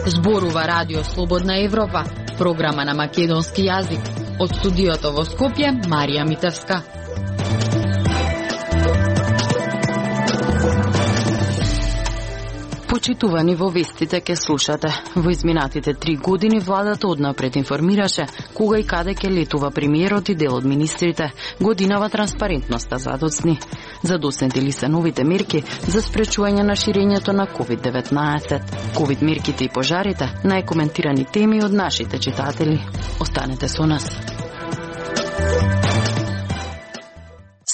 Зборува Радио Слободна Европа, програма на македонски јазик. Од студиото во Скопје, Марија Митевска. Почитувани, во вестите ке слушате. Во изминатите 3 години владата однапред информираше кога и каде ке летува премиерот и дел од министрите. Годинава транспарентноста задоцни. Задоснети ли се новите мерки за спречување на ширењето на COVID-19? Ковид мерките и пожарите, најкоментирани теми од нашите читатели. Останете со нас.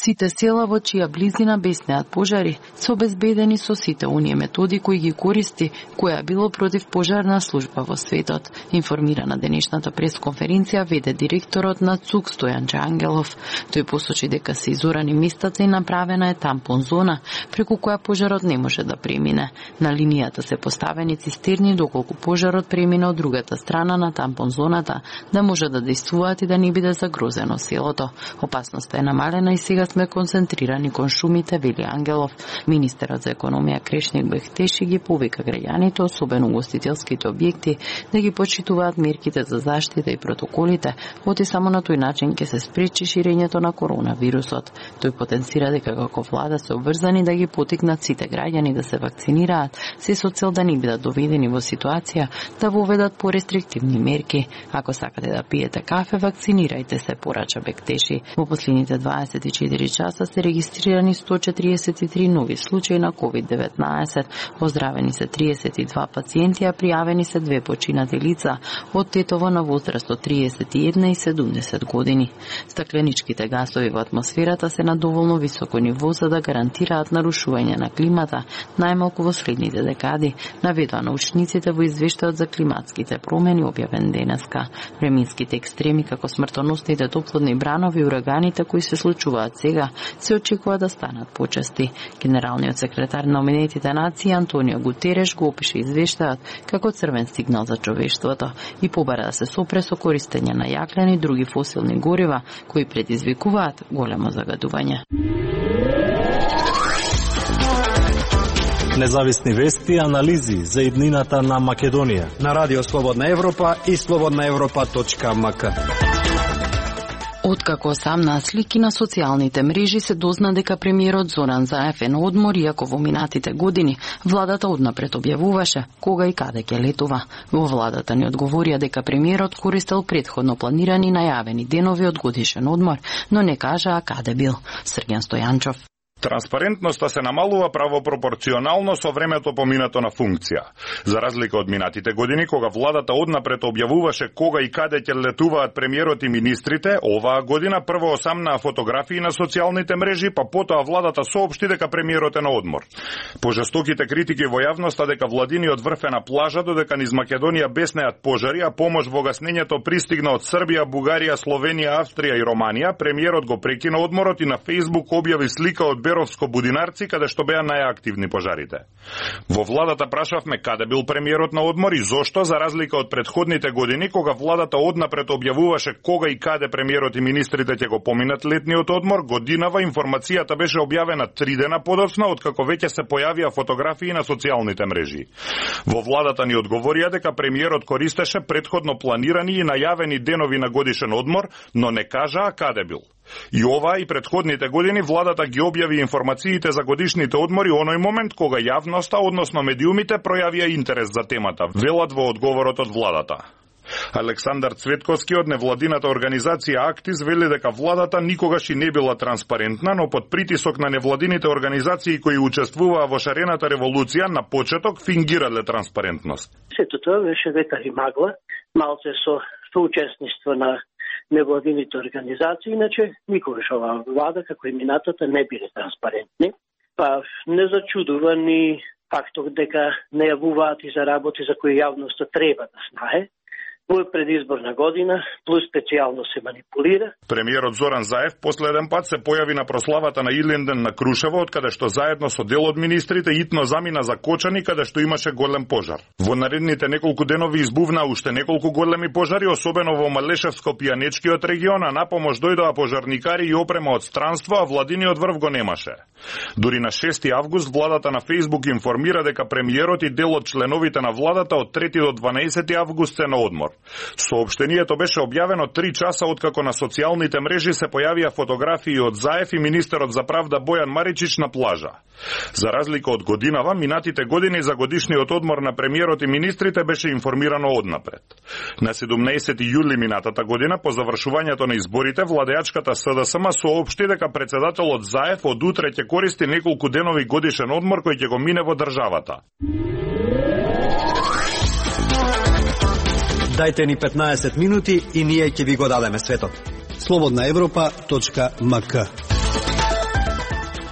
Сите села во чија близина беснеат пожари се обезбедени со сите оние методи кои ги користи која било против пожарна служба во светот, информира на денешната пресконференција веде директорот на ЦУК Стојан Ангелов. Тој посочи дека се изорани местата и направена е тампон зона преку која пожарот не може да премине. На линијата се поставени цистерни доколку пожарот премине од другата страна на тампон зоната да може да действуваат и да не биде загрозено селото. Опасноста е намалена и сега сме концентрирани кон шумите, вели Ангелов. Министерот за економија Крешник Бехтеши ги повика граѓаните, особено угостителските објекти, да ги почитуваат мерките за заштита и протоколите, оти само на тој начин ќе се спречи ширењето на коронавирусот. Тој потенцира дека како влада се обврзани да ги потикнат сите граѓани да се вакцинираат, се со цел да не бидат доведени во ситуација да воведат порестриктивни мерки. Ако сакате да пиете кафе, вакцинирајте се, порача Бехтеши. Во последните 24 часа се регистрирани 143 нови случаи на COVID-19. Оздравени се 32 пациенти, а пријавени се 2 починати лица од Тетово на возраст од 31 и 70 години. Стакленичките гасови во атмосферата се на доволно високо ниво за да гарантираат нарушување на климата, најмалку во следните декади, наведува научниците во извештајот за климатските промени објавен денеска. Временските екстреми како смртоносните топлодни бранови и ураганите кои се случуваат сега се очекува да станат почести. Генералниот секретар на Обединетите нации Антонио Гутереш го опише извештајот како црвен сигнал за човештвото и побара да се сопре со користење на јаглен и други фосилни горива кои предизвикуваат големо загадување. Независни вести и анализи за иднината на Македонија на Радио Слободна Европа и slobodnaevropa.mk. Откако самна слики на социјалните мрежи се дозна дека премиерот Зоран Заев е на одмор, иако во минатите години владата однапред објавуваше кога и каде ќе летува. Во владата ни одговорија дека премиерот користел претходно планирани најавени денови од годишен одмор, но не кажаа каде бил. Срген Стојанчов. Транспарентноста се намалува правопропорционално со времето поминато на функција. За разлика од минатите години, кога владата однапред објавуваше кога и каде ќе летуваат премиерот и министрите, оваа година прво осамнаа фотографии на социјалните мрежи, па потоа владата соопшти дека премиерот е на одмор. По жестоките критики во јавноста дека владиниот врв е на плажа, додека низ Македонија беснеат пожари, а помош во гаснењето пристигна од Србија, Бугарија, Словенија, Австрија и Романија, премиерот го прекина одморот и на Facebook објави слика од Беровско Будинарци, каде што беа најактивни пожарите. Во владата прашавме каде бил премиерот на одмор и зошто, за разлика од претходните години, кога владата однапред објавуваше кога и каде премиерот и министрите ќе го поминат летниот одмор, годинава информацијата беше објавена 3 дена подоцна, откако веќе се појавија фотографии на социјалните мрежи. Во владата ни одговорија дека премиерот користеше претходно планирани и најавени денови на годишен одмор, но не кажаа каде бил. И ова и претходните години владата ги објави информациите за годишните одмори оној момент кога јавноста, односно медиумите, пројавија интерес за темата, велат во одговорот од владата. Александар Цветковски од невладината организација Актис вели дека владата никогаш и не била транспарентна, но под притисок на невладините организации кои учествуваа во шарената револуција на почеток фингирале транспарентност. Сето тоа беше ветар и магла, малце со соучесниство на невладините организации, иначе никогаш оваа влада, како и минатата, не биле транспарентни. Па не зачудува ни фактот дека не јавуваат и за работи за кои јавноста треба да знае, Во предизборна година, плюс специјално се манипулира. Премиерот Зоран Заев последен пат се појави на прославата на Илинден на Крушево, од каде што заедно со дел од министрите итно замина за Кочани, каде што имаше голем пожар. Во наредните неколку денови избувна уште неколку големи пожари, особено во Малешевско-Пијанечкиот регион, а на помош дојдоа пожарникари и опрема од странство, а владиниот врв го немаше. Дури на 6 август владата на Фејсбук информира дека премиерот и дел од членовите на владата од 3 до 12 август се на одмор. Соопштението беше објавено 3 часа откако на социјалните мрежи се појавија фотографии од Заев и министерот за правда Бојан Маричич на плажа. За разлика од годинава, минатите години за годишниот одмор на премиерот и министрите беше информирано однапред. На 17 јули минатата година, по завршувањето на изборите, владеачката СДСМ соопшти дека председателот Заев од утре ќе користи неколку денови годишен одмор кој ќе го мине во државата. Дајте ни 15 минути и ние ќе ви го дадеме светот. Slobodnaevropa.mk.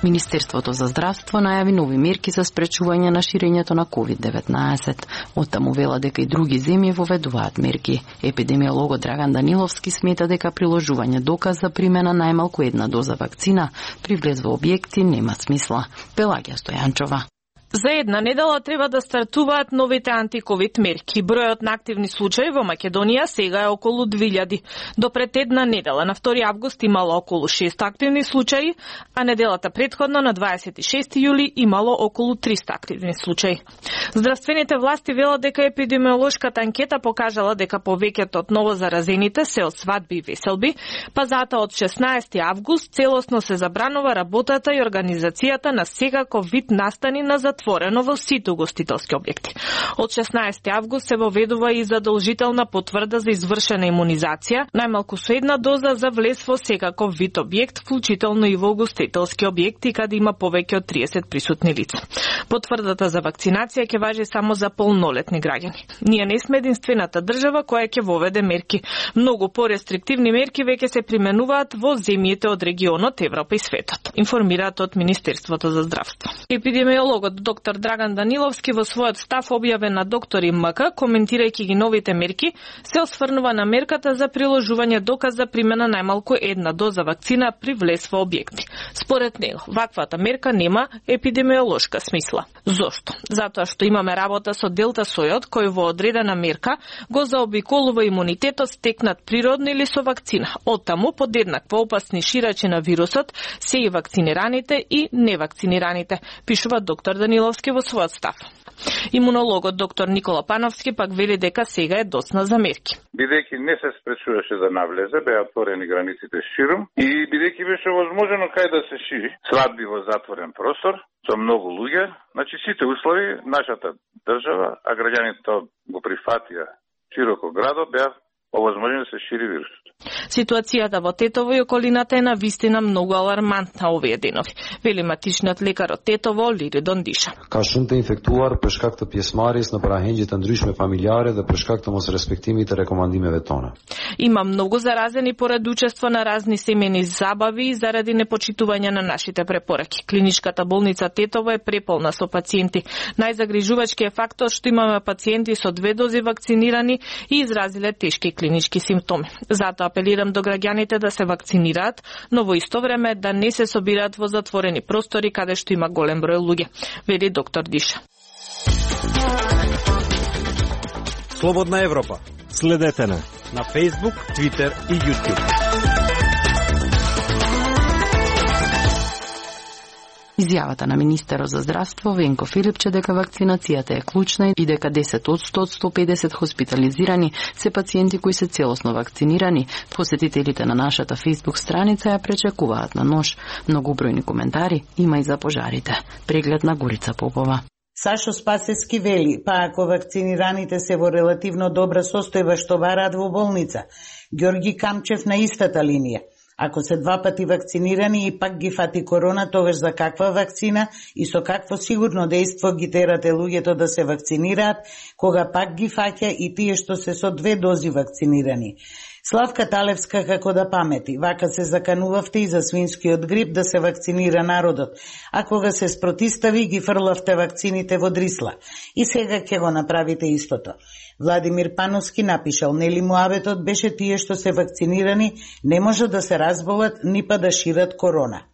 Министерството за здравство најави нови мерки за спречување на ширењето на COVID-19. Оттаму вела дека и други земји воведуваат мерки. Епидемиологот Драган Даниловски смета дека приложување доказ за примена најмалку една доза вакцина при влез во објекти нема смисла. Пелагија Стојанчова. За една недела треба да стартуваат новите антиковид мерки. Бројот на активни случаи во Македонија сега е околу 2000. До пред една недела, на 2 август, имало околу 6 активни случаи, а неделата претходно на 26 јули имало околу 300 активни случаи. Здравствените власти велат дека епидемиолошката анкета покажала дека повеќето од новозаразените се од свадби и веселби, па затоа од 16 август целосно се забранува работата и организацијата на секаков вид настани на затворено во сите угостителски објекти. Од 16 август се воведува и задолжителна потврда за извршена имунизација, најмалку со една доза за влез во секаков вид објект, вклучително и во угостителски објекти каде има повеќе од 30 присутни лица. Потврдата за вакцинација ќе важи само за полнолетни граѓани. Ние не сме единствената држава која ќе воведе мерки. Многу порестриктивни мерки веќе се применуваат во земјите од регионот, Европа и светот, информираат од Министерството за здравство. Епидемиологот доктор Драган Даниловски во својот став објавен на Доктори МК, коментирајќи ги новите мерки, се осврнува на мерката за приложување доказ за примена најмалку една доза вакцина при влез во објекти. Според него, ваквата мерка нема епидемиолошка смисла. Зошто? Затоа што имаме работа со делта сојот, кој во одредена мерка го заобиколува имунитетот стекнат природно или со вакцина. Оттаму подеднакво опасни ширачи на вирусот се и вакцинираните и невакцинираните, пишува доктор Даниловски во својот став. Имунологот доктор Никола Пановски пак вели дека сега е доцна за мерки. Бидејќи не се спречуваше да навлезе, беа отворени границите ширум и бидејќи беше возможно кај да се шири, свадби во затворен простор со многу луѓе, значи сите услови нашата држава, а граѓаните го прифатија широко градот, беа овозможно да се шири вирусот. Ситуацијата во Тетово и околината е на вистина многу алармантна овие денови, вели матичниот лекар од Тетово Лиридон Диша. Ka shumë të infektuar për shkak të pjesëmarrjes në parahengje të ndryshme familjare dhe për shkak të mosrespektimit të rekomandimeve tona. Има многу заразени поред учество на разни семени забави заради непочитување на нашите препораки. Клиничката болница Тетово е преполна со пациенти. Најзагрижувачки е фактот што имаме пациенти со 2 дози вакцинирани и изразиле тешки клинички симптоми. Затоа апелирам до граѓаните да се вакцинираат, но во исто време да не се собираат во затворени простори каде што има голем број луѓе, вели доктор Диша. Слободна Европа. Следете на Facebook, Twitter и YouTube. Изјавата на министерот за здравство Венко Филипче дека вакцинацијата е клучна и дека 10 од 150 хоспитализирани се пациенти кои се целосно вакцинирани, посетителите на нашата Facebook страница ја пречекуваат на нож. Многу бројни коментари има и за пожарите. Преглед на Горица Попова. Сашо Спасецки вели, па ако вакцинираните се во релативно добра состојба што бараат во болница, Ѓорги Камчев на истата линија. Ако се 2 пати вакцинирани и пак ги фати корона, тогаш за каква вакцина и со какво сигурно дејство ги терате луѓето да се вакцинираат, кога пак ги фаќа и тие што се со 2 дози вакцинирани. Славка Талевска како да памети, вака се заканувавте и за свинскиот грип да се вакцинира народот, а кога се спротистави ги фрлавте вакцините во Дрисла. И сега ќе го направите истото. Владимир Пановски напишал, нели муабетот беше тие што се вакцинирани не може да се разболат ни па да шират корона.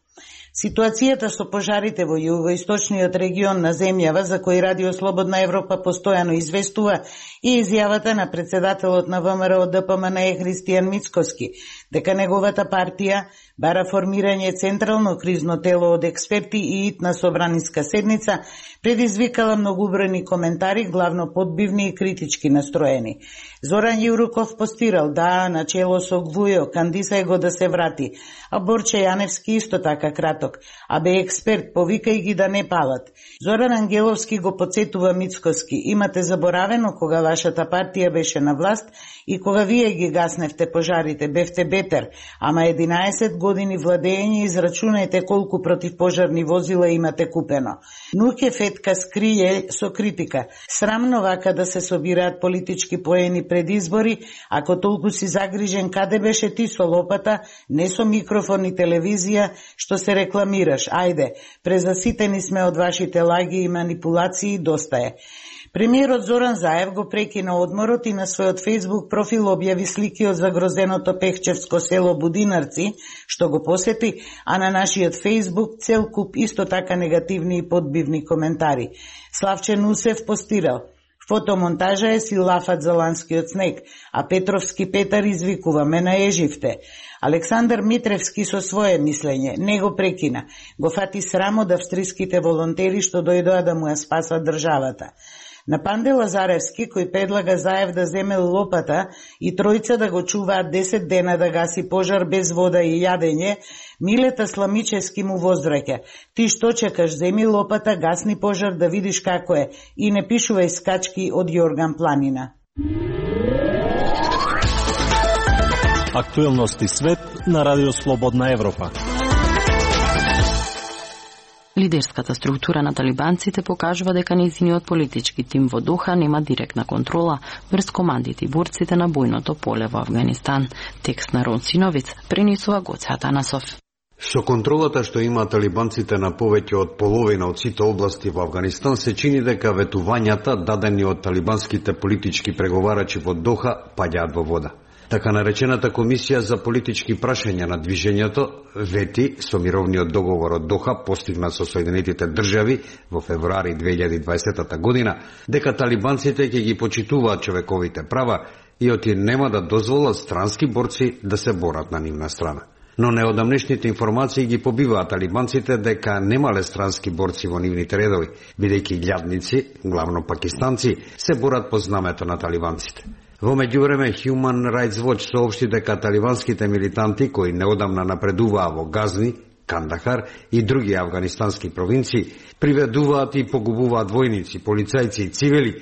Ситуацијата со пожарите во југоисточниот регион на земјава, за кој Радио Слободна Европа постојано известува, и изјавата на председателот на ВМРО ДПМНЕ Христијан Мицкоски, дека неговата партија бара формирање централно кризно тело од експерти и итна собраниска седница, предизвикала многубројни коментари, главно подбивни и критички настроени. Зоран Јуруков постирал, да, начело со Гвујо, кандисај го да се врати, а Борче Јаневски исто така краток, а бе експерт, повикај ги да не палат. Зоран Ангеловски го подсетува Мицкоски, имате заборавено кога вашата партија беше на власт и кога вие ги гасневте пожарите, бевте бетер, ама 11 години владење, израчунајте колку противпожарни возила имате купено. Нуќе Фетка скрие со критика. Срамно вака да се собираат политички поени пред избори, ако толку си загрижен каде беше ти со лопата, не со микрофон и телевизија, што се рекламираш. Ајде, презаситени сме од вашите лаги и манипулации, доста е. Премиерот Зоран Заев го прекина одморот и на својот Facebook профил објави слики од загрозеното Пехчевско село Будинарци, што го посети, а на нашиот Facebook цел куп исто така негативни и подбивни коментари. Славче Нусев постирал, фотомонтажа е си лафат за ланскиот снег, а Петровски Петар извикува, ме наеживте. Александар Митревски со свое мислење не го прекина, го фати срам од австриските волонтери што дојдоа да му ја спасат државата. На Панде Лазаревски, кој предлага Заев да земе лопата и тројца да го чуваат 10 дена да гаси пожар без вода и јадење, Милета Сламичевски му возвраќа. Ти што чекаш, земи лопата, гасни пожар да видиш како е и не пишувај скачки од Јорган Планина. Актуелности свет на Радио Слободна Европа. Лидерската структура на талибанците покажува дека нејзиниот политички тим во Доха нема директна контрола врз командите и борците на бојното поле во Авганистан. Текст на Рон Синовиц пренесува Гоце Атанасов. Со контролата што има талибанците на повеќе од половина од сите области во Авганистан, се чини дека ветувањата дадени од талибанските политички преговарачи во Доха паѓаат во вода. Така наречената Комисија за политички прашања на движењето вети со мировниот договор од Доха постигнат со Соединетите држави во февруари 2020 година, дека талибанците ќе ги почитуваат човековите права и оти нема да дозволат странски борци да се борат на нивна страна. Но неодамнешните информации ги побиваат талибанците дека немале странски борци во нивните редови, бидејќи илјадници, главно пакистанци, се борат по знамето на талибанците. Во меѓувреме, Human Rights Watch соопшти дека талибанските милитанти, кои неодамна напредуваа во Газни, Кандахар и други афганистански провинции, приведуваат и погубуваат војници, полицајци и цивили,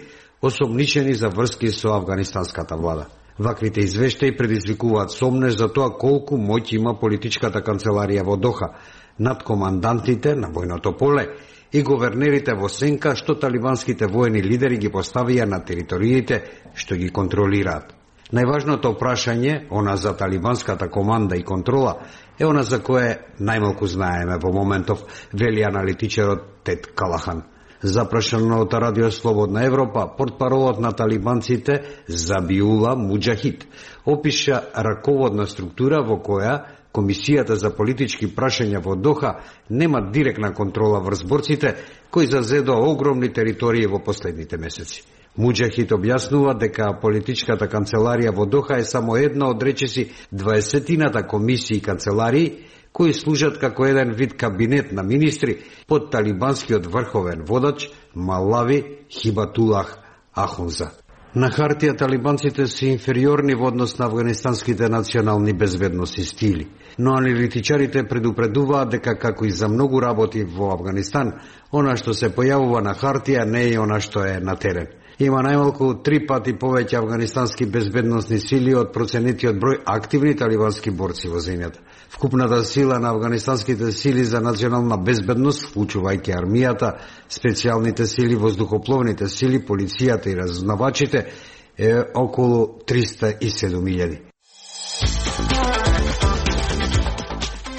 осомничени за врски со афганистанската влада. Ваквите извештаи предизвикуваат сомнеж за тоа колку моќ има политичката канцеларија во Доха над командантите на војното поле и говернерите во сенка што талибанските воени лидери ги поставија на териториите што ги контролираат. Најважното прашање, она за талибанската команда и контрола, е она за кое најмалку знаеме во моментов, вели аналитичарот Тед Калахан. Запрашан од Радио Слободна Европа, портпаролот на талибанците Забиула Муџахид опиша раководна структура во која Комисијата за политички прашања во Доха нема директна контрола врз борците кои зазедоа огромни територии во последните месеци. Муџахид објаснува дека политичката канцеларија во Доха е само една од речиси 20-тината комисии и канцеларии кои служат како еден вид кабинет на министри под талибанскиот врховен водач Малави Хибатулах Ахунза. На хартија талибанците се инфериорни во однос на афганистанските национални безбедносни стили, но аналитичарите предупредуваат дека како и за многу работи во Авганистан, она што се појавува на хартија не е она што е на терен. Има најмалку 3 пати повеќе афганистански безбедносни сили од проценетиот број активни талибански борци во земјата. Вкупната сила на афганистанските сили за национална безбедност, вклучувајќи армијата, специјалните сили, воздухопловните сили, полицијата и разузнавачите, е околу 307.000.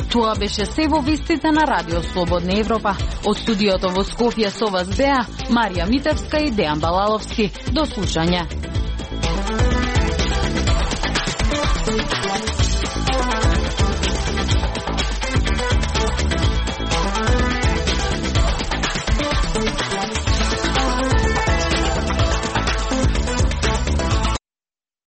Тоа беше се во вестите на Радио Слободна Европа. Од студиото во Скопје со вас беа Марија Митевска и Дејан Балаловски. До слушање.